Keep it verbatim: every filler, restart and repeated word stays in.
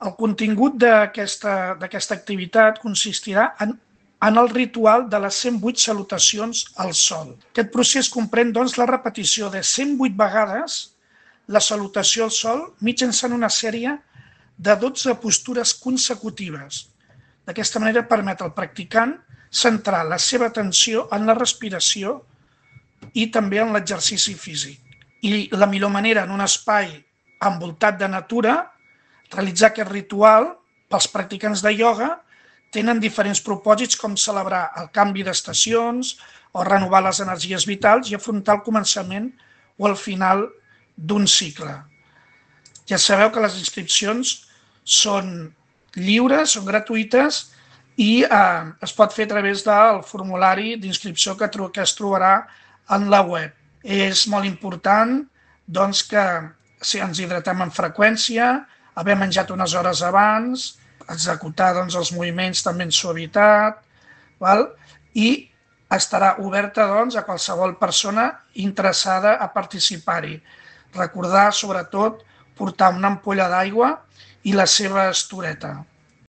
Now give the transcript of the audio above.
El contingut d'aquesta d'aquesta activitat consistirà en, en el ritual de les cent vuit salutacions al sol. Aquest procés comprèn doncs, la repetició de cent vuit vegades la salutació al sol mitjançant una sèrie de dotze postures consecutives. D'aquesta manera permet al practicant centrar la seva atenció en la respiració i també en l'exercici físic. I la millor manera en un espai envoltat de natura, realitzar aquest ritual pels practicants de ioga tenen diferents propòsits com celebrar el canvi d'estacions o renovar les energies vitals i afrontar el començament o el final d'un cicle. Ja sabeu que les inscripcions són lliures, són gratuïtes i eh, es pot fer a través del formulari d'inscripció que, que es trobarà en la web. És molt important doncs, que si ens hidratem amb freqüència, haver menjat unes hores abans, executar doncs, els moviments també en suavitat, val? I estarà oberta doncs, a qualsevol persona interessada a participar-hi. Recordar, sobretot, portar una ampolla d'aigua i la seva estoreta.